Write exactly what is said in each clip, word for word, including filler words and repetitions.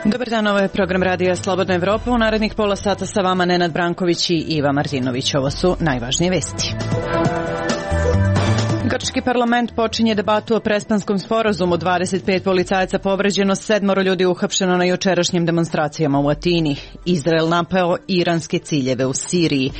Dobar dan, ovo je program Radija Slobodna Evropa. U narednih pola sata sa vama Nenad Branković i Iva Martinović. Ovo su najvažnije vesti. Grčki parlament počinje debatu o Prespanskom sporazumu. dvadeset pet policajaca povređeno, sedmoro ljudi uhapšeno na jučerašnjim demonstracijama u Atini. Izrael napao iranske ciljeve u Siriji.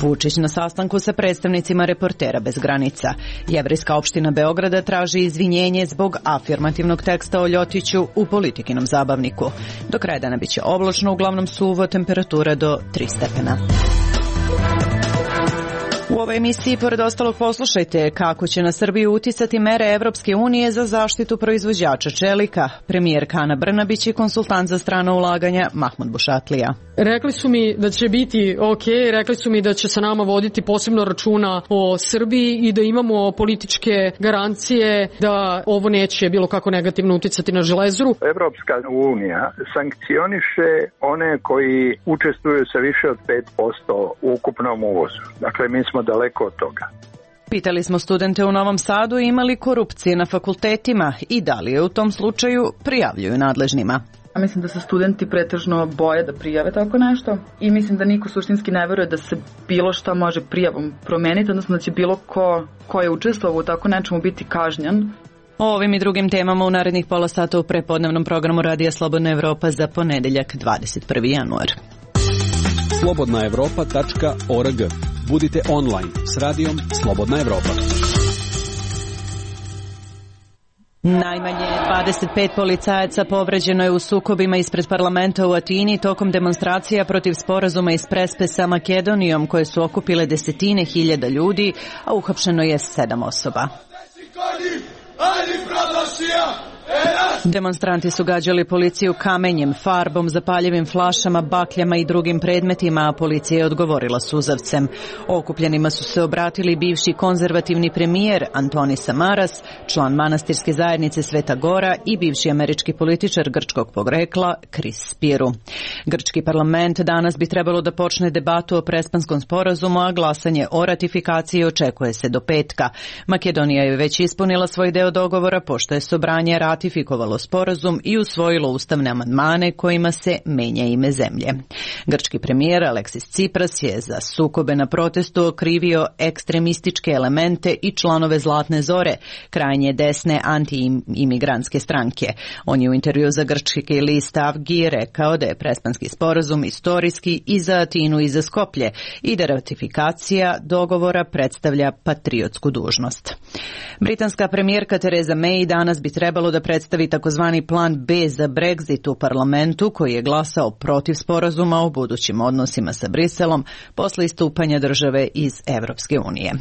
Vučić na sastanku sa predstavnicima Reportera bez granica. Jevrejska opština Beograda traži izvinjenje zbog afirmativnog teksta o Ljotiću u Politikinom zabavniku. Do kraja dana biće oblačno, uglavnom suvo, temperatura do tri stepena. U ovoj emisiji, pored ostalog, poslušajte kako će na Srbiju uticati mere Evropske unije za zaštitu proizvođača čelika. Premijerka Ana Brnabić i konsultant za strana ulaganja Mahmud Bušatlija. Rekli su mi da će biti ok, rekli su mi da će sa nama voditi posebno računa o Srbiji i da imamo političke garancije da ovo neće bilo kako negativno uticati na Železaru. Evropska unija sankcioniše one koji učestvuju sa više od pet posto u ukupnom uvozu. Dakle, mi smo daleko od toga. Pitali smo studente u Novom Sadu ima li korupcije na fakultetima i da li je u tom slučaju prijavljuju nadležnima. Mislim da se studenti pretežno boje da prijave tako nešto i mislim da niko suštinski ne veruje da se bilo šta može prijavom promeniti, odnosno da će bilo ko, ko je učestvovao u tako nečemu biti kažnjen. O ovim i drugim temama u narednih pola sata u prepodnevnom programu Radija Slobodna Evropa za ponedeljak dvadeset prvi januar. slobodna evropa tačka org. Budite online s radijom Slobodna Evropa. Najmanje dvadeset pet policajaca povređeno je u sukobima ispred parlamenta u Atini tokom demonstracija protiv sporazuma iz Prespe sa Makedonijom koje su okupile desetine hiljada ljudi, a uhapšeno je sedam osoba. Demonstranti su gađali policiju kamenjem, farbom, zapaljivim flašama, bakljama i drugim predmetima, a policija je odgovorila suzavcem. Okupljenima su se obratili bivši konzervativni premijer Antoni Samaras, član manastirske zajednice Sveta Gora i bivši američki političar grčkog porekla Kris Spiru. Grčki parlament danas bi trebalo da počne debatu o Prespanskom sporazumu, a glasanje o ratifikaciji očekuje se do petka. Makedonija je već ispunila svoj deo dogovora pošto je Sobranje ratifikovalo sporazum i usvojilo ustavne amandmane kojima se menja ime zemlje. Grčki premijer Aleksis Tsipras je za sukobe na protestu okrivio ekstremističke elemente i članove Zlatne zore, krajnje desne anti-imigrantske stranke. On je u intervju za grčki list Avgi rekao da je Prespanski sporazum istorijski i za Atinu i za Skoplje i da ratifikacija dogovora predstavlja patriotsku dužnost. Britanska premijerka Theresa May danas bi trebalo da predstavi takozvani plan B za Brexit u parlamentu koji je glasao protiv sporazuma o budućim odnosima sa Briselom posle istupanja države iz Evropske unije.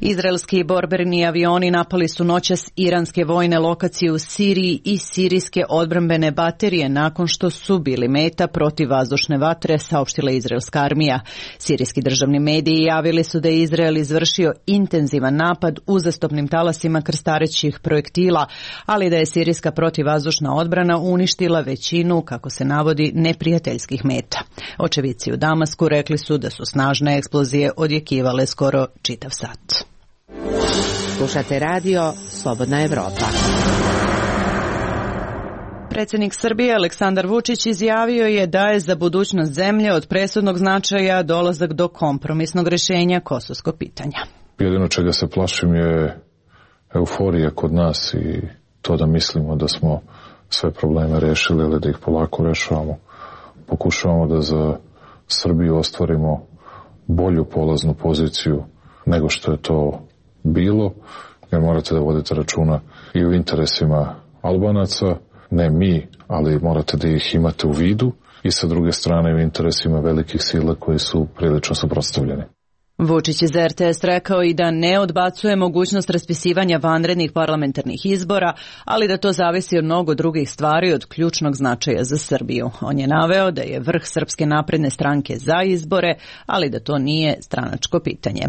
Izraelski borbeni avioni napali su noćas iranske vojne lokacije u Siriji i sirijske odbrambene baterije nakon što su bili meta protiv vazdušne vatre, saopštila izraelska armija. Sirijski državni mediji javili su da je Izrael izvršio intenzivan napad uzastopnim talasima krstarećih projektila, ali da je sirijska protivvazdušna odbrana uništila većinu, kako se navodi, neprijateljskih meta. Očevici u Damasku rekli su da su snažne eksplozije odjekivale skoro čitav sat. Slušate radio Slobodna Evropa. Predsjednik Srbije Aleksandar Vučić izjavio je da je za budućnost zemlje od presudnog značaja dolazak do kompromisnog rješenja kosovskog pitanja. Jedino čega se plašim je euforija kod nas i to da mislimo da smo sve probleme rešili ili da ih polako rešavamo. Pokušavamo da za Srbiju ostvarimo bolju polaznu poziciju nego što je to bilo, jer morate da vodite računa i u interesima Albanaca, ne mi, ali morate da ih imate u vidu, i sa druge strane u interesima velikih sila koji su prilično suprotstavljeni. Vučić je za er te es rekao i da ne odbacuje mogućnost raspisivanja vanrednih parlamentarnih izbora, ali da to zavisi od mnogo drugih stvari od ključnog značaja za Srbiju. On je naveo da je vrh Srpske napredne stranke za izbore, ali da to nije stranačko pitanje.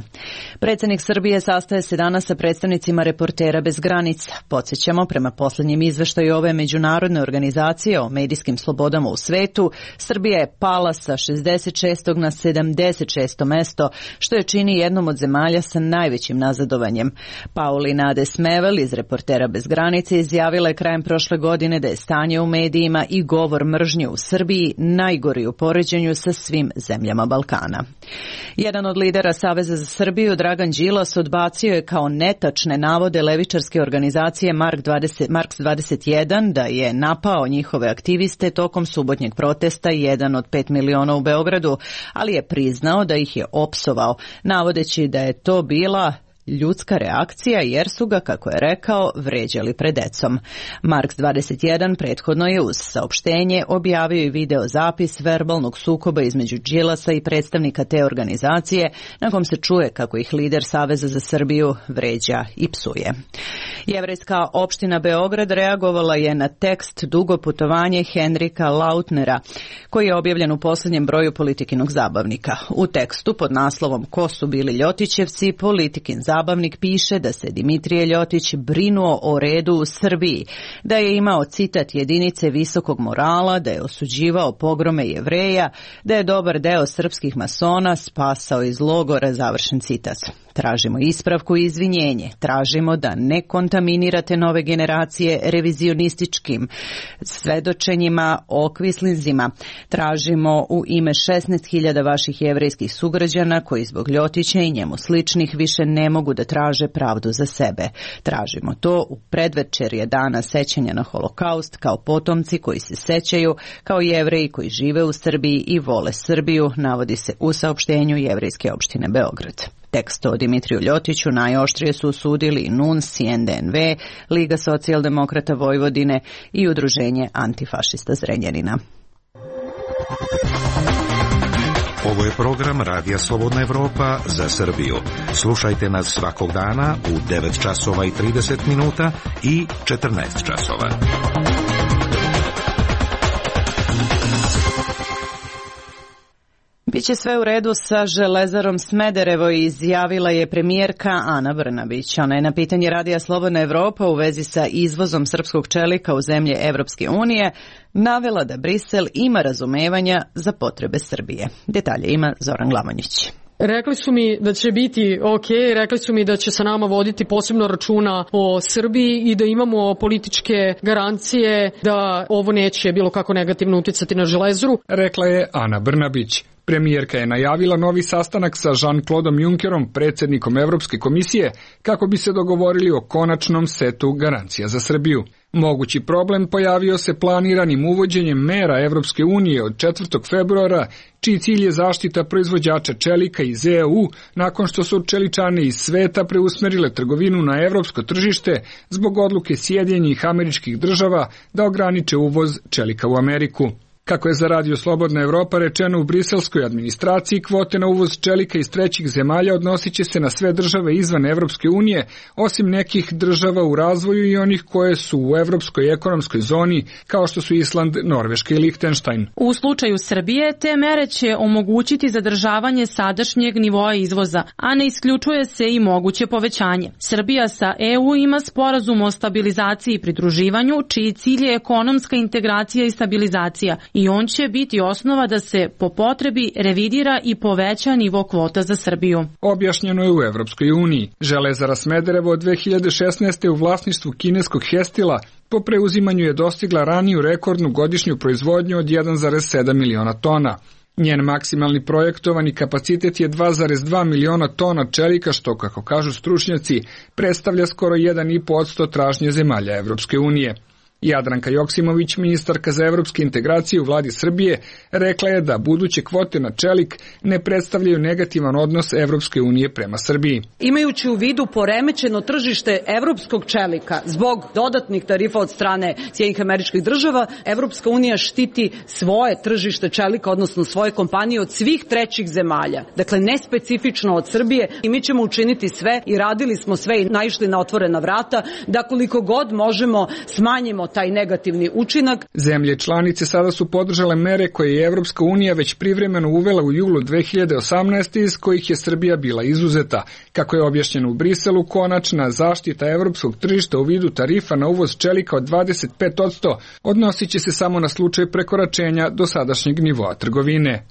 Predsjednik Srbije sastaje se danas sa predstavnicima Reportera bez granica. Podsjećamo, prema posljednjem izveštaju ove međunarodne organizacije o medijskim slobodama u svetu, Srbija je pala sa šezdeset šestog na sedamdeset šesto mesto, što je čini jednom od zemalja sa najvećim nazadovanjem. Paulina Adesmevel iz Reportera bez granice izjavila je krajem prošle godine da je stanje u medijima i govor mržnje u Srbiji najgori u poređenju sa svim zemljama Balkana. Jedan od lidera Saveza za Srbiju, Dragan Đilas, odbacio je kao netačne navode levičarske organizacije Marks dvadeset jedan da je napao njihove aktiviste tokom subotnjeg protesta jedan od pet miliona u Beogradu, ali je priznao da ih je opsovao, navodeći da je to bila ljudska reakcija jer su ga, kako je rekao, vređali pred decom. Marks dvadeset jedan prethodno je uz saopštenje objavio i video zapis verbalnog sukoba između Đilasa i predstavnika te organizacije, na kom se čuje kako ih lider Saveza za Srbiju vređa i psuje. Jevrejska opština Beograd reagovala je na tekst Dugo putovanje Henrika Lautnera, koji je objavljen u posljednjem broju Politikinog zabavnika. U tekstu pod naslovom Ko su bili Ljotićevci, Politikin zabavnik piše da se Dimitrije Ljotić brinuo o redu u Srbiji, da je imao citat jedinice visokog morala, da je osuđivao pogrome Jevreja, da je dobar deo srpskih masona spasao iz logora, završen citat. Tražimo ispravku i izvinjenje. Tražimo da ne kontaminirate nove generacije revizionističkim svedočenjima o kvislinzima. Tražimo u ime šesnaest hiljada vaših jevrejskih sugrađana koji zbog Ljotića i njemu sličnih više ne mogu da traže pravdu za sebe. Tražimo to u predvečerje dana sećanja na Holokaust kao potomci koji se sećaju, kao Jevreji koji žive u Srbiji i vole Srbiju, navodi se u saopštenju Jevrejske opštine Beograd. Tekst o Dimitriju Ljotiću najoštrije su osudili i N U N S i N D N V, Liga socijaldemokrata Vojvodine i Udruženje antifašista Zrenjanina. Ovo je program Radija Slobodna Evropa za Srbiju. Slušajte nas svakog dana u devet časova i trideset minuta i četrnaest časova. Biće sve u redu sa Železarom Smederevo, izjavila je premijerka Ana Brnabić. Ona je na pitanje Radija Slobodna Evropa u vezi sa izvozom srpskog čelika u zemlje Evropske unije navela da Brisel ima razumevanja za potrebe Srbije. Detalje ima Zoran Glamonjić. Rekli su mi da će biti ok, rekli su mi da će sa nama voditi posebno računa o Srbiji i da imamo političke garancije da ovo neće bilo kako negativno uticati na Železaru. Rekla je Ana Brnabić. Premijerka je najavila novi sastanak sa Jean-Claudeom Junckerom, predsjednikom Evropske komisije, kako bi se dogovorili o konačnom setu garancija za Srbiju. Mogući problem pojavio se planiranim uvođenjem mera Evropske unije od četvrtog februara, čiji cilj je zaštita proizvođača čelika iz E U nakon što su čeličane iz sveta preusmerile trgovinu na evropsko tržište zbog odluke Sjedinjenih Američkih Država da ograniče uvoz čelika u Ameriku. Kako je za Radio Slobodna Evropa rečeno u briselskoj administraciji, kvote na uvoz čelika iz trećih zemalja odnosit će se na sve države izvan Evropske unije, osim nekih država u razvoju i onih koje su u Evropskoj ekonomskoj zoni, kao što su Island, Norveška i Lihtenštajn. U slučaju Srbije, te mere će omogućiti zadržavanje sadašnjeg nivoa izvoza, a ne isključuje se i moguće povećanje. Srbija sa E U ima sporazum o stabilizaciji i pridruživanju, čiji cilj je ekonomska integracija i stabilizacija, i on će biti osnova da se po potrebi revidira i poveća nivo kvota za Srbiju. Objašnjeno je u Evropskoj uniji. Železara Smederevo od dve hiljade šesnaeste. u vlasništvu kineskog Hestila po preuzimanju je dostigla raniju rekordnu godišnju proizvodnju od jedan zarez sedam miliona tona. Njen maksimalni projektovani kapacitet je dva zarez dva miliona tona čelika, što, kako kažu stručnjaci, predstavlja skoro jedan zarez pet posto tražnje zemalja Evropske unije. Jadranka Joksimović, ministarka za evropske integracije u vladi Srbije, rekla je da buduće kvote na čelik ne predstavljaju negativan odnos Evropske unije prema Srbiji. Imajući u vidu poremećeno tržište evropskog čelika zbog dodatnih tarifa od strane Sjedinjenih Američkih Država, Evropska unija štiti svoje tržište čelika, odnosno svoje kompanije od svih trećih zemalja. Dakle, ne specifično od Srbije, i mi ćemo učiniti sve i radili smo sve i naišli na otvorena vrata da koliko god možemo smanjimo taj negativni učinak. Zemlje članice sada su podržale mere koje je Evropska unija već privremeno uvela u julu dve hiljade osamnaeste. iz kojih je Srbija bila izuzeta. Kako je objašnjeno u Briselu, konačna zaštita evropskog tržišta u vidu tarifa na uvoz čelika od dvadeset pet posto odnosit će se samo na slučaj prekoračenja dosadašnjeg nivoa trgovine.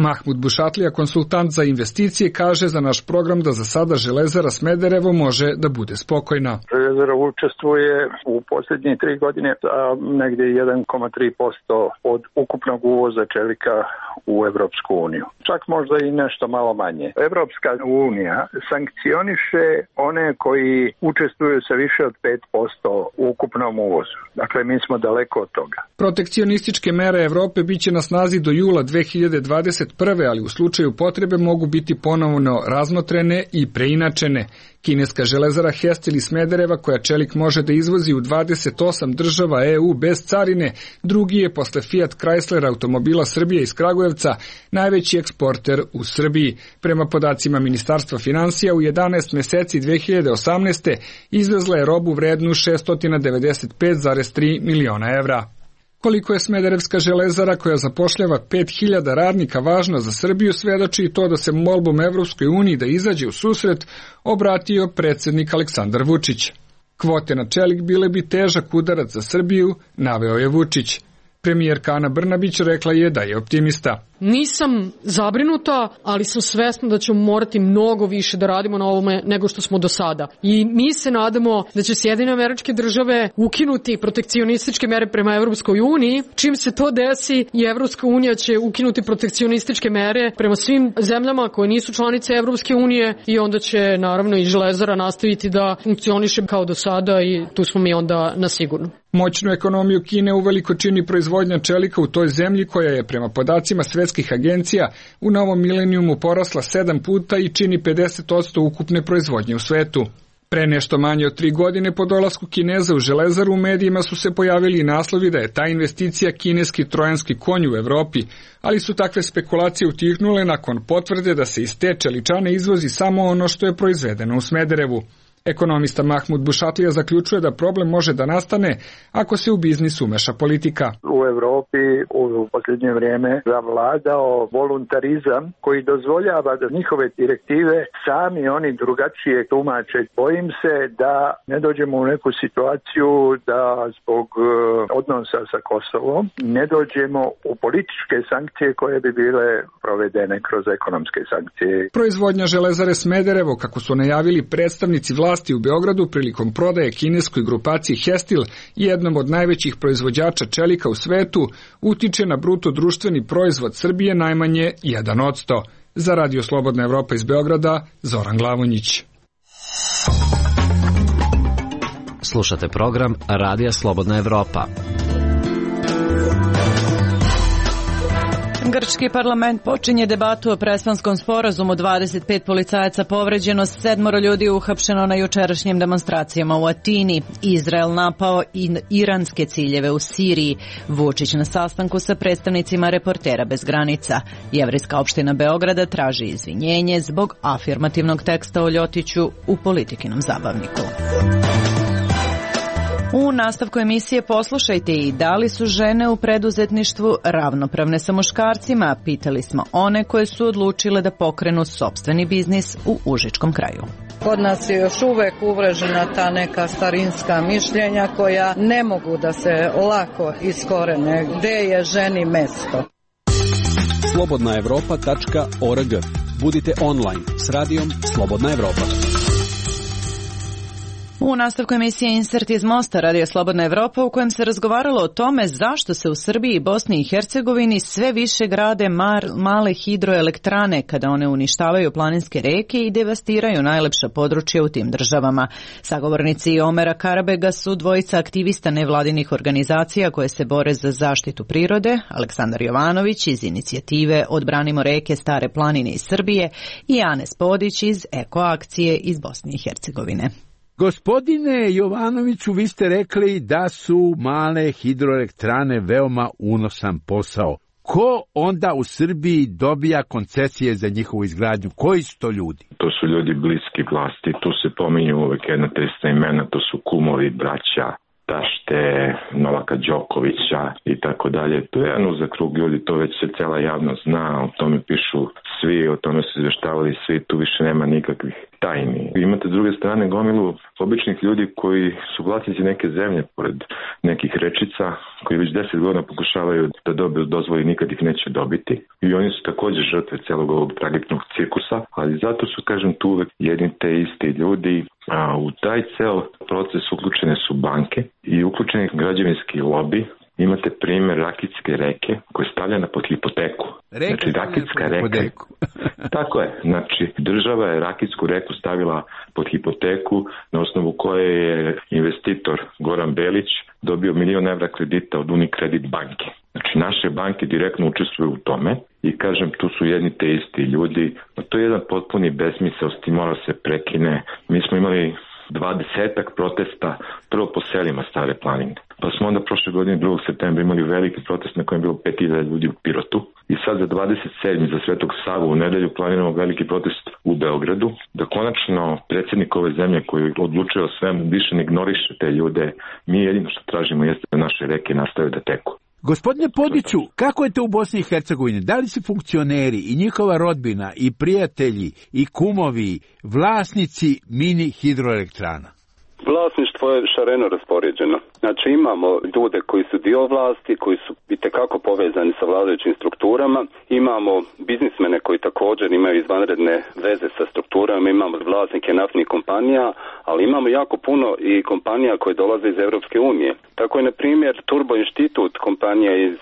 Mahmud Bušatlija, konsultant za investicije, kaže za naš program da za sada Železara Smederevo može da bude spokojna. Železara učestvuje u posljednje tri godine sa negdje jedan zarez tri posto od ukupnog uvoza čelika u Evropsku uniju. Čak možda i nešto malo manje. Evropska unija sankcioniše one koji učestvuju sa više od pet posto u ukupnom uvozu. Dakle, mi smo daleko od toga. Protekcionističke mere Evrope biće na snazi do jula dve hiljade dvadeset prve, ali u slučaju potrebe mogu biti ponovno razmotrene i preinačene. Kineska železara Hestil iz Smedereva, koja čelik može da izvozi u dvadeset osam država E U bez carine, drugi je posle Fiat Chrysler automobila Srbije iz Kragujevca najveći eksporter u Srbiji. Prema podacima Ministarstva finansija, u jedanaest meseci dve hiljade osamnaeste. izvezla je robu vrednu šesto devedeset pet zarez tri miliona evra. Koliko je Smederevska železara, koja zapošljava pet hiljada radnika, važna za Srbiju, svedoči i to da se molbom Evropskoj uniji da izađe u susret obratio predsjednik Aleksandar Vučić. Kvote na čelik bile bi težak udarac za Srbiju, naveo je Vučić. Premijerka Ana Brnabić rekla je da je optimista. Nisam zabrinuta, ali sam svesna da ćemo morati mnogo više da radimo na ovome nego što smo do sada. I mi se nadamo da će Sjedinjene Američke Države ukinuti protekcionističke mere prema Evropskoj uniji. Čim se to desi, i Evropska unija će ukinuti protekcionističke mere prema svim zemljama koje nisu članice Evropske unije i onda će naravno i železara nastaviti da funkcioniše kao do sada i tu smo mi onda na sigurno. Moćnu ekonomiju Kine uveliko čini proizvodnja čelika u toj zemlji, koja je prema podacima svetskih agencija u novom milenijumu porasla sedam puta i čini pedeset posto ukupne proizvodnje u svetu. Pre nešto manje od tri godine po dolasku Kineza u železaru u medijima su se pojavili i naslovi da je ta investicija kineski trojanski konj u Evropi, ali su takve spekulacije utihnule nakon potvrde da se iz te čeličane izvozi samo ono što je proizvedeno u Smederevu. Ekonomista Mahmud Bušatlija zaključuje da problem može da nastane ako se u biznis umeša politika. U Evropi u posljednje vrijeme zavladao voluntarizam koji dozvoljava da njihove direktive sami oni drugačije tumače. Bojim se da ne dođemo u neku situaciju da zbog odnosa sa Kosovom ne dođemo u političke sankcije koje bi bile provedene kroz ekonomske sankcije. Proizvodnja železare Smederevo, kako su najavili predstavnici vlasti u Beogradu prilikom prodaje kineskoj grupaciji Hestil, jednom od najvećih proizvođača čelika u svetu, utiče na bruto društveni proizvod Srbije najmanje jedan posto. Za Radio Slobodna Evropa iz Beograda, Zoran Glavonjić. Slušate program Radija Slobodna Evropa. Grčki parlament počinje debatu o prespanskom sporazumu. dvadeset pet policajaca povređeno, sedmoro ljudi uhapšeno na jučerašnjim demonstracijama u Atini. Izrael napao i iranske ciljeve u Siriji. Vučić na sastanku sa predstavnicima Reportera bez granica. Jevrejska opština Beograda traži izvinjenje zbog afirmativnog teksta o Ljotiću u Politikinom zabavniku. U nastavku emisije poslušajte i da li su žene u preduzetništvu ravnopravne sa muškarcima. Pitali smo one koje su odlučile da pokrenu sopstveni biznis u Užičkom kraju. Kod nas je još uvek uvrežena ta neka starinska mišljenja koja ne mogu da se lako iskorene. Gde je ženi mesto? slobodna evropa tačka org. Budite online s radijom Slobodna Evropa. U nastavku emisije Insert iz Mosta, Radio Slobodna Evropa, u kojem se razgovaralo o tome zašto se u Srbiji i Bosni i Hercegovini sve više grade mar, male hidroelektrane kada one uništavaju planinske reke i devastiraju najlepša područja u tim državama. Sagovornici Omera Karabega su dvojica aktivista nevladinih organizacija koje se bore za zaštitu prirode, Aleksandar Jovanović iz inicijative Odbranimo reke Stare planine iz Srbije i Anes Podić iz Eko akcije iz Bosne i Hercegovine. Gospodine Jovanoviću, vi ste rekli da su male hidroelektrane veoma unosan posao. Ko onda u Srbiji dobija koncesije za njihovu izgradnju? Koji su to ljudi? To su ljudi bliski vlasti, tu se pominju uvek jedna te ista imena, to su kumovi, braća, tašte, Novaka Đokovića i tako dalje. To je jedan uzak krug ljudi, to već se cela javnost zna, o tome pišu svi, o tome su izveštavali svi, tu više nema nikakvih tajni. Imate s druge strane gomilu običnih ljudi koji su vlasnici neke zemlje pored nekih rečica, koji već deset godina pokušavaju da dobiju dozvoli, nikad ih neće dobiti. I oni su također žrtve celog ovog tragičnog cirkusa, ali zato su, kažem, tu uvek jedni te isti ljudi. A u taj ceo proces uključene su banke i uključeni građevinski lobi. Imate primjer Rakitske reke koja je stavljena pod hipoteku. Reka znači, Rakitska reka. Tako je. Znači, država je Rakitsku reku stavila pod hipoteku na osnovu koje je investitor Goran Belić dobio milion evra kredita od Unicredit banke. Znači, naše banke direktno učestvuju u tome i, kažem, tu su jedni te isti ljudi. To je jedan potpuni besmisao, s tim mora se prekine. Mi smo imali dvadesetak protesta prvo po selima Stare planine. Pa smo onda prošle godine drugog septembra imali veliki protest na kojem je bilo pet hiljada ljudi u Pirotu. I sad za dvadeset sedmi za Svetog Savu u nedelju planiramo veliki protest u Beogradu. Da konačno predsjednik ove zemlje koji odlučuje o svemu više ne ignoriše te ljude. Mi jedino što tražimo jeste da naše reke nastave da teku. Gospodine Podiću, kako je to u Bosni i Hercegovini? Da li su funkcioneri i njihova rodbina i prijatelji i kumovi vlasnici mini hidroelektrana? Vlasništvo je šareno raspoređeno. Znači imamo ljude koji su dio vlasti, koji su itekako povezani sa vladajućim strukturama, imamo biznismene koji također imaju izvanredne veze sa strukturama, imamo vlasnike naftnih kompanija, ali imamo jako puno i kompanija koje dolaze iz Europske unije. Tako je, na primjer, Turbo Institut, kompanija iz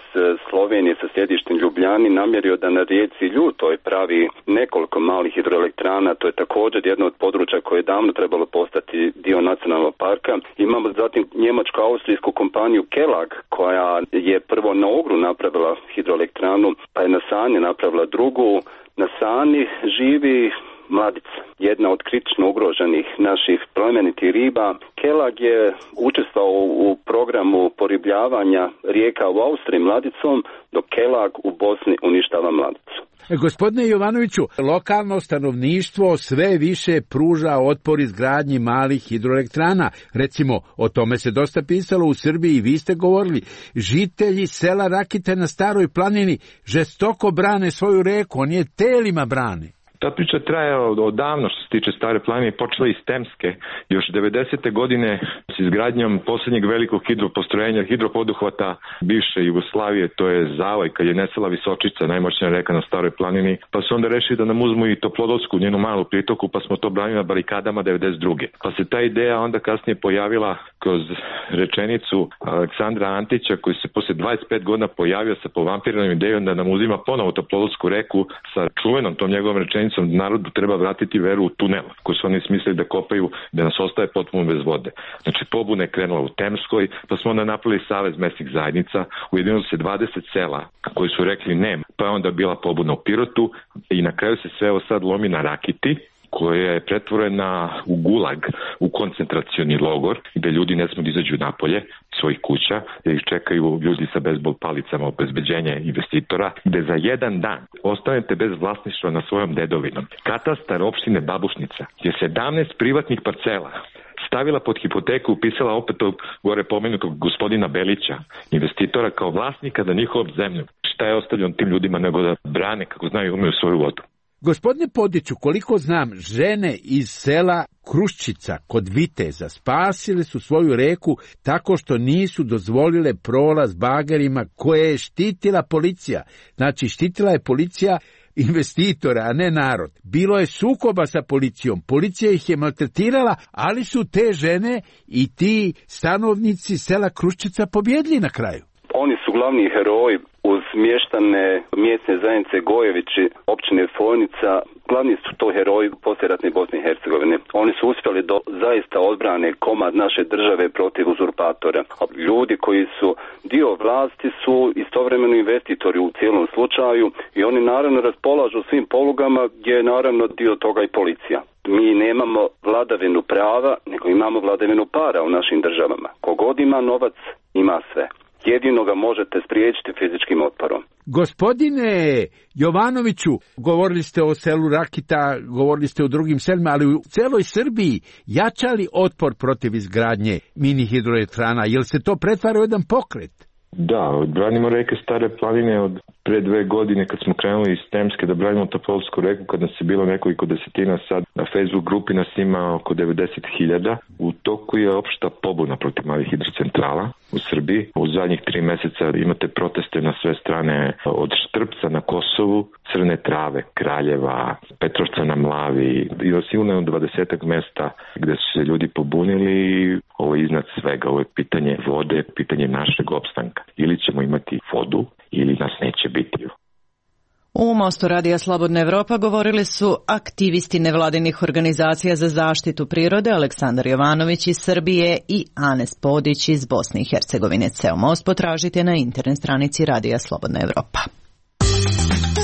Slovenije sa sjedištem Ljubljani, namjerio da na rijeci Ljutoj pravi nekoliko malih hidroelektrana. To je također jedno od područja koje je davno trebalo postati dio nacionalnog parka. Imamo zatim njemačko-austrijsku kompaniju Kelag, koja je prvo na Ogru napravila hidroelektranu, pa je na Sani napravila drugu. Na Sani živi mladica, jedna od kritično ugroženih naših plemenitih riba. Kelag je učestvovao u programu poribljavanja rijeka u Austriji mladicom, dok Kelag u Bosni uništava mladicu. Gospodine Jovanoviću, lokalno stanovništvo sve više pruža otpor izgradnji malih hidroelektrana. Recimo, o tome se dosta pisalo u Srbiji i vi ste govorili. Žitelji sela Rakite na Staroj planini žestoko brane svoju reku, oni je telima brane. Ta priča traje odavno što se tiče Stare planine, počela iz Temske. Još devedesete godine s izgradnjom posljednjeg velikog hidropostrojenja, hidropoduhvata bivše Jugoslavije, to je Zavoj, kad je nestala Visočica, najmoćnija reka na Staroj planini, pa su onda rešili da nam uzmu i Toplodolsku, njenu malu pritoku, pa smo to branili na barikadama devedeset druge. Pa se ta ideja onda kasnije pojavila kroz rečenicu Aleksandra Antića, koji se posle dvadeset pet godina pojavio sa povampiranom idejom da nam uzima ponovo Toplodolsku reku sa čuvenom tom njegovom rečenicom narodu treba vratiti veru u tunel koji su oni smislili da kopaju, da nas ostaje potpuno bez vode. Znači pobuna je krenula u Temskoj, pa smo onda napravili savez mesnih zajednica, ujedinilo se dvadeset sela koji su rekli ne, pa je onda bila pobuna u Pirotu i na kraju se sve ovo sad lomi na Rakiti, koja je pretvorena u gulag, u koncentracioni logor, gde ljudi ne smiju da izađu napolje svojih kuća, gde ih čekaju ljudi sa bejzbol palicama, obezbeđenje investitora, gde za jedan dan ostanete bez vlasništva na svojom dedovinom. Katastar opštine Babušnica je sedamnaest privatnih parcela stavila pod hipoteku, upisala opet ovog gore pomenutog gospodina Belića, investitora, kao vlasnika da njihovom zemlju. Šta je ostavljeno tim ljudima nego da brane, kako znaju, umeju svoju vodu. Gospodine Podiću, koliko znam, žene iz sela Kruščica kod Viteza spasile su svoju reku tako što nisu dozvolile prolaz bagerima koje je štitila policija. Znači, štitila je policija investitora, a ne narod. Bilo je sukoba sa policijom, policija ih je maltretirala, ali su te žene i ti stanovnici sela Kruščica pobjedili na kraju. Oni su glavni heroji uz mještane mjesne zajednice Gojevići, općine Fojnica. Glavni su to heroji poslijeratne Bosne i Hercegovine. Oni su uspjeli do zaista odbrane komad naše države protiv uzurpatora. Ljudi koji su dio vlasti su istovremeno investitori u cijelom slučaju i oni naravno raspolažu svim polugama gdje je naravno dio toga i policija. Mi nemamo vladavinu prava, nego imamo vladavinu para u našim državama. Kogod ima novac, ima sve. Jedino ga možete spriječiti fizičkim otporom. Gospodine Jovanoviću, govorili ste o selu Rakita, govorili ste o drugim selima, ali u celoj Srbiji jačali otpor protiv izgradnje mini hidroelektrana, jel se to pretvara u jedan pokret? Da, branimo reke Stare planine od pre dve godine kad smo krenuli iz Temske da branimo Topolsku reku, kad nas je bilo nekoliko desetina, sad na Facebook grupi nas ima oko devedeset hiljada. U toku je opšta pobuna protiv malih hidrocentrala u Srbiji. U zadnjih tri meseca imate proteste na sve strane, od Štrpca na Kosovu, Crne Trave, Kraljeva, Petrovca na Mlavi i sigurno dvadesetak mesta gde su se ljudi pobunili. Ovo je iznad svega, ovo je pitanje vode, pitanje našeg opstanka. Ili ćemo imati vodu, ili nas neće biti. U Mostu Radija Slobodna Evropa govorili su aktivisti nevladinih organizacija za zaštitu prirode Aleksandar Jovanović iz Srbije i Anes Podić iz Bosne i Hercegovine. Ceo most potražite na internet stranici Radija Slobodna Evropa.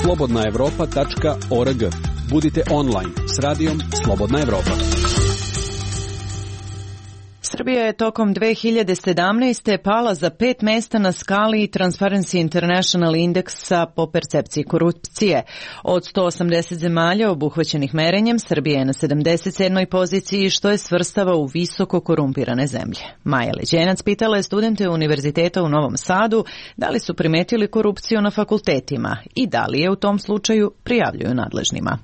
slobodna evropa tačka org. Budite online s Radijom Slobodna Evropa. Srbija je tokom dve hiljade sedamnaeste. pala za pet mesta na skali Transparency International indeksa po percepciji korupcije. Od sto osamdeset zemalja obuhvaćenih merenjem, Srbija je na sedamdeset sedmoj poziciji, što je svrstava u visoko korumpirane zemlje. Maja Leđenac pitala je studente Univerziteta u Novom Sadu da li su primetili korupciju na fakultetima i da li je u tom slučaju prijavljuju nadležnima.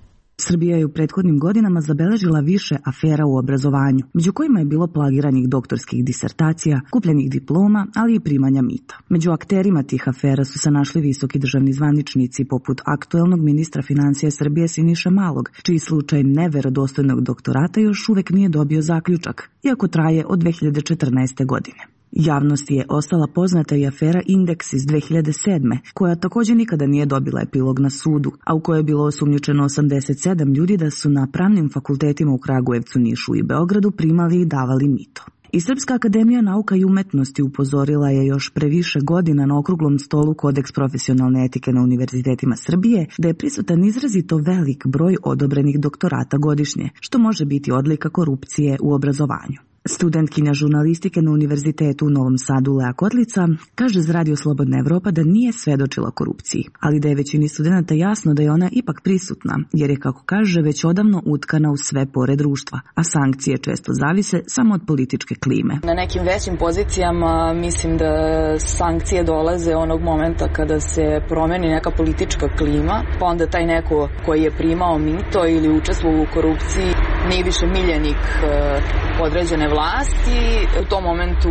Srbija je u prethodnim godinama zabeležila više afera u obrazovanju, među kojima je bilo plagiranih doktorskih disertacija, kupljenih diploma, ali i primanja mita. Među akterima tih afera su se našli visoki državni zvaničnici poput aktuelnog ministra financija Srbije Siniše Malog, čiji slučaj neverodostojnog doktorata još uvek nije dobio zaključak, iako traje od dve hiljade četrnaeste. godine. Javnosti je ostala poznata i afera Indeks iz dve hiljade sedme. koja također nikada nije dobila epilog na sudu, a u kojoj je bilo osumnjičeno osamdeset sedam ljudi da su na pravnim fakultetima u Kragujevcu, Nišu i Beogradu primali i davali mito. I Srpska akademija nauka i umetnosti upozorila je još pre više godina na okruglom stolu Kodeks profesionalne etike na univerzitetima Srbije da je prisutan izrazito velik broj odobrenih doktorata godišnje, što može biti odlika korupcije u obrazovanju. Studentkinja žurnalistike na Univerzitetu u Novom Sadu Lea Kotlica kaže za Radio Slobodna Evropa da nije svedočila korupciji, ali da je većini studenta jasno da je ona ipak prisutna, jer je, kako kaže, već odavno utkana u sve pore društva, a sankcije često zavise samo od političke klime. Na nekim većim pozicijama mislim da sankcije dolaze onog momenta kada se promeni neka politička klima, pa onda taj neko koji je primao mito ili učestvovao u korupciji nije više miljenik određene vlasti. U tom momentu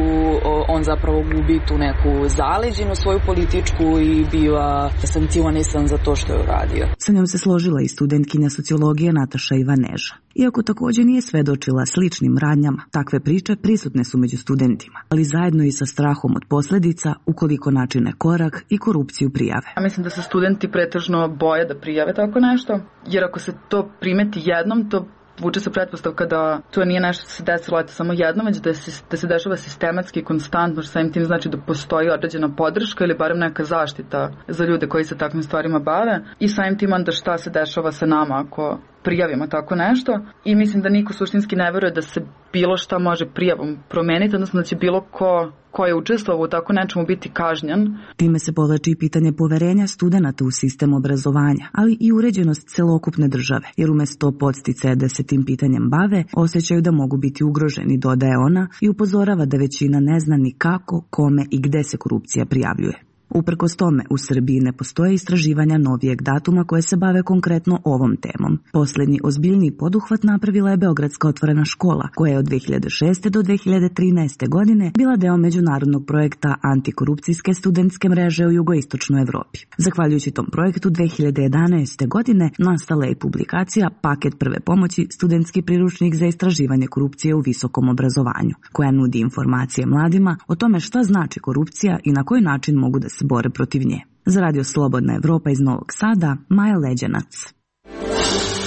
on zapravo gubi tu neku zaleđinu svoju političku i biva sankcionisan za to što je uradio. Sa njom se složila i studentkinja sociologije Nataša Ivaneža. Iako također nije svedočila sličnim radnjama, takve priče prisutne su među studentima, ali zajedno i sa strahom od posljedica ukoliko načine korak i korupciju prijave. Ja mislim da se studenti pretežno boje da prijave tako nešto, jer ako se to primeti jednom, to vuče se pretpostavka da to nije nešto što se desilo eto samo jednom, već da se, da se dešava sistematski i konstantno, što samim tim znači da postoji određena podrška ili barem neka zaštita za ljude koji se takvim stvarima bave i samim tim onda šta se dešava sa nama ako prijavimo tako nešto. I mislim da niko suštinski ne veruje da se bilo šta može prijavom promeniti, odnosno da će bilo ko ko je učestvovao u tako nečemu biti kažnjen. Time se povlači i pitanje poverenja studenata u sistem obrazovanja, ali i uređenost celokupne države, jer umesto podsticaja da se tim pitanjem bave, osjećaju da mogu biti ugroženi, dodaje ona i upozorava da većina ne zna ni kako, kome i gde se korupcija prijavljuje. Uprkos tome, u Srbiji ne postoje istraživanja novijeg datuma koje se bave konkretno ovom temom. Posljednji ozbiljniji poduhvat napravila je Beogradska otvorena škola, koja je od dve hiljade šeste do dve hiljade trinaeste. godine bila deo međunarodnog projekta antikorupcijske studentske mreže u jugoistočnoj Evropi. Zahvaljujući tom projektu dve hiljade jedanaeste. godine nastala je publikacija Paket prve pomoći, studentski priručnik za istraživanje korupcije u visokom obrazovanju, koja nudi informacije mladima o tome šta znači korupcija i na koji način mogu da se bore protiv nje. Za Radio Slobodna Evropa iz Novog Sada, Maja Leđenac.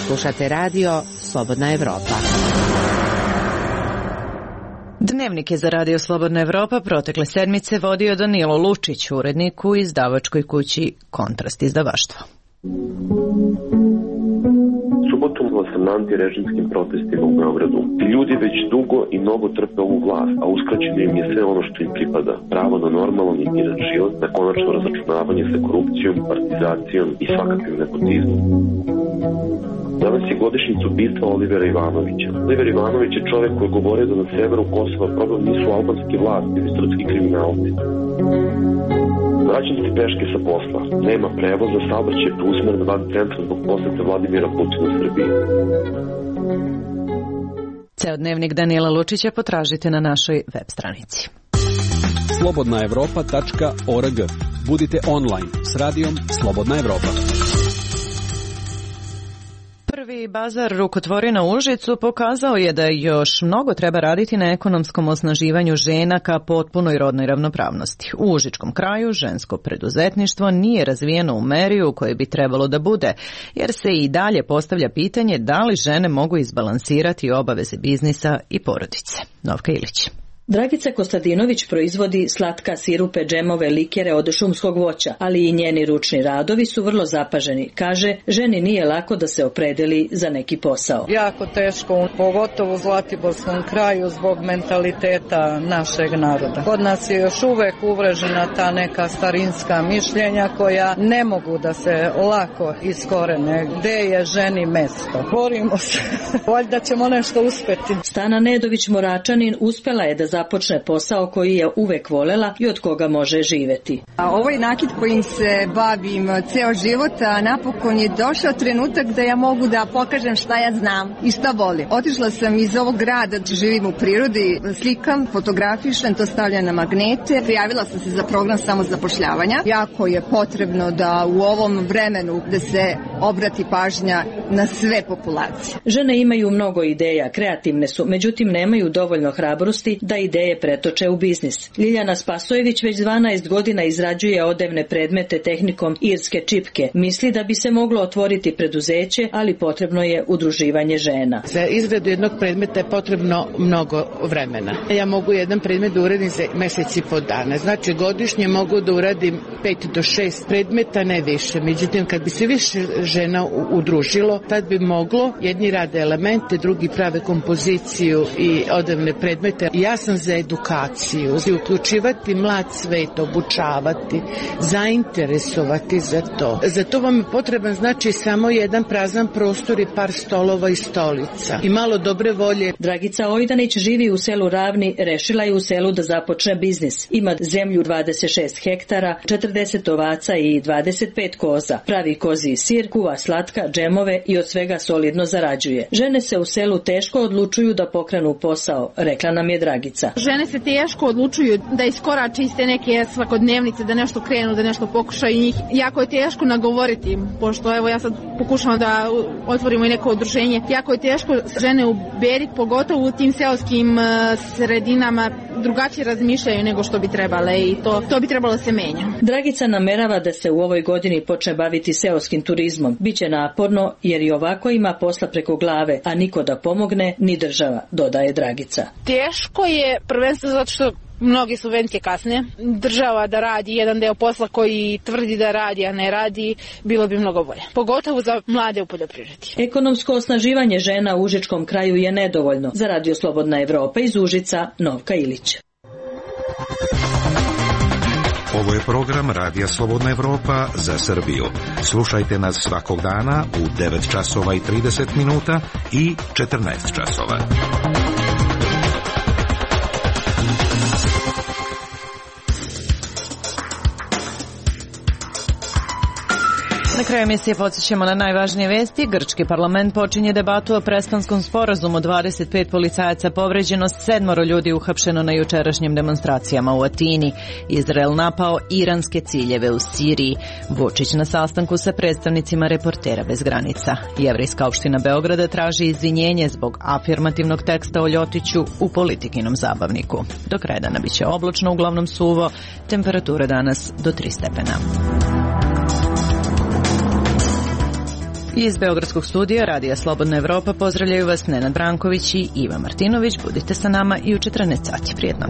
Slušate Radio Slobodna Evropa. Dnevnik je za Radio Slobodna Evropa protekle sedmice vodio Danilo Lučić, urednik u izdavačkoj kući Kontrast izdavaštvo. subotu sam na antirežimskim protestima u Beogradu. Ti ljudi već dugo i mnogo trpe ovu vlast, a uskraćeno im je sve ono što im pripada. Pravo na normalan i miran život, na konačno razračunavanje sa korupcijom, partizacijom i svakakvim nepotizmom. Danas je godišnjica ubistva Olivera Ivanovića. Oliver Ivanović je čovek koji govore da na severu Kosova problem nisu albanski vlasti ili srpski kriminalci. Vraćam se peške sa posla. Nema prevoza, saobraćaj je preusmeren van centra zbog posete Vladimira Putina u Srbiji. Ceo dnevnik Danila Lučića potražite na našoj web stranici. slobodna evropa tačka org. Budite online s radijom Slobodna Evropa. Prvi bazar rukotvorina u Užicu pokazao je da još mnogo treba raditi na ekonomskom osnaživanju žena ka potpunoj rodnoj ravnopravnosti. U užičkom kraju žensko preduzetništvo nije razvijeno u meri u kojoj bi trebalo da bude, jer se i dalje postavlja pitanje da li žene mogu izbalansirati obaveze biznisa i porodice. Novka Ilić. Dragica Kostadinović proizvodi slatka, sirupe, džemove, likere od šumskog voća, ali i njeni ručni radovi su vrlo zapaženi. Kaže, ženi nije lako da se opredeli za neki posao. Jako teško, pogotovo u Zlatiborskom kraju zbog mentaliteta našeg naroda. Kod nas je još uvek uvrežena ta neka starinska mišljenja koja ne mogu da se lako iskorene. Gde je ženi mesto? Borimo se. Valjda ćemo nešto uspeti. Stana Nedović Moračanin uspela je da započne posao koji je uvek volela i od koga može živeti. A ovaj nakit kojim se bavim ceo život, a napokon je došao trenutak da ja mogu da pokažem šta ja znam i šta volim. Otišla sam iz ovog grada, živim u prirodi, slikam, fotografišem, to stavljam na magnete. Prijavila sam se za program samozapošljavanja. Jako je potrebno da u ovom vremenu da se obrati pažnja na sve populacije. Žene imaju mnogo ideja, kreativne su, međutim nemaju dovoljno hrabrosti da ideje pretoče u biznis. Ljiljana Spasojević već dvanaest godina izrađuje odevne predmete tehnikom irske čipke. Misli da bi se moglo otvoriti preduzeće, ali potrebno je udruživanje žena. Za izradu jednog predmeta je potrebno mnogo vremena. Ja mogu jedan predmet da uradim za mesec i po dana. Znači godišnje mogu da uradim pet do šest predmeta, ne više. Međutim, kad bi se više žena udružilo, tad bi moglo, jedni rade elemente, drugi prave kompoziciju i odevne predmete. Ja sam za edukaciju, za uključivati mlad svet, obučavati, zainteresovati za to. Za to vam je potreban znači samo jedan prazan prostor i par stolova i stolica i malo dobre volje. Dragica Ojdanić živi u selu Ravni, rešila je u selu da započne biznis. Ima zemlju dvadeset šest hektara, četrdeset ovaca i dvadeset pet koza. Pravi koziji sir, kuva slatka, džemove i od svega solidno zarađuje. Žene se u selu teško odlučuju da pokrenu posao, rekla nam je Dragica. Žene se teško odlučuju da iskorače iz te neke svakodnevnice, da nešto krenu, da nešto pokušaju i njih. Jako je teško nagovoriti, pošto evo ja sad pokušavam da otvorimo i neko udruženje. Jako je teško žene uberiti, pogotovo u tim seoskim sredinama drugačije razmišljaju nego što bi trebale i to, to bi trebalo se menja. Dragica namerava da se u ovoj godini počne baviti seoskim turizmom. Biće naporno jer i ovako ima posla preko glave, a niko da pomogne ni država, dodaje Dragica. Teško je prvenstveno zato što mnoge subvencije kasne. Država da radi jedan deo posla koji tvrdi da radi, a ne radi, bilo bi mnogo bolje. Pogotovo za mlade u poljoprivredi. Ekonomsko osnaživanje žena u užičkom kraju je nedovoljno. Za Radio Slobodna Evropa iz Užica, Novka Ilić. Ovo je program Radija Slobodna Evropa za Srbiju. Slušajte nas svakog dana u devet časova i trideset minuta i četrnaest časova. Na kraju emisije podsjećamo na najvažnije vesti. Grčki parlament počinje debatu o prestanskom sporazumu. dvadeset pet policajaca povređeno, sedmoro ljudi uhapšeno na jučerašnjim demonstracijama u Atini. Izrael napao iranske ciljeve u Siriji. Vučić na sastanku sa predstavnicima Reportera bez granica. Jevrejska opština Beograda traži izvinjenje zbog afirmativnog teksta o Ljotiću u Politikinom zabavniku. Do kraja dana biće oblačno, uglavnom suvo, temperatura danas do tri stepena. Iz Beogradskog studija Radija Slobodna Evropa pozdravljaju vas Nenad Branković i Iva Martinović. Budite sa nama i u četrnaest sati. Prijetno.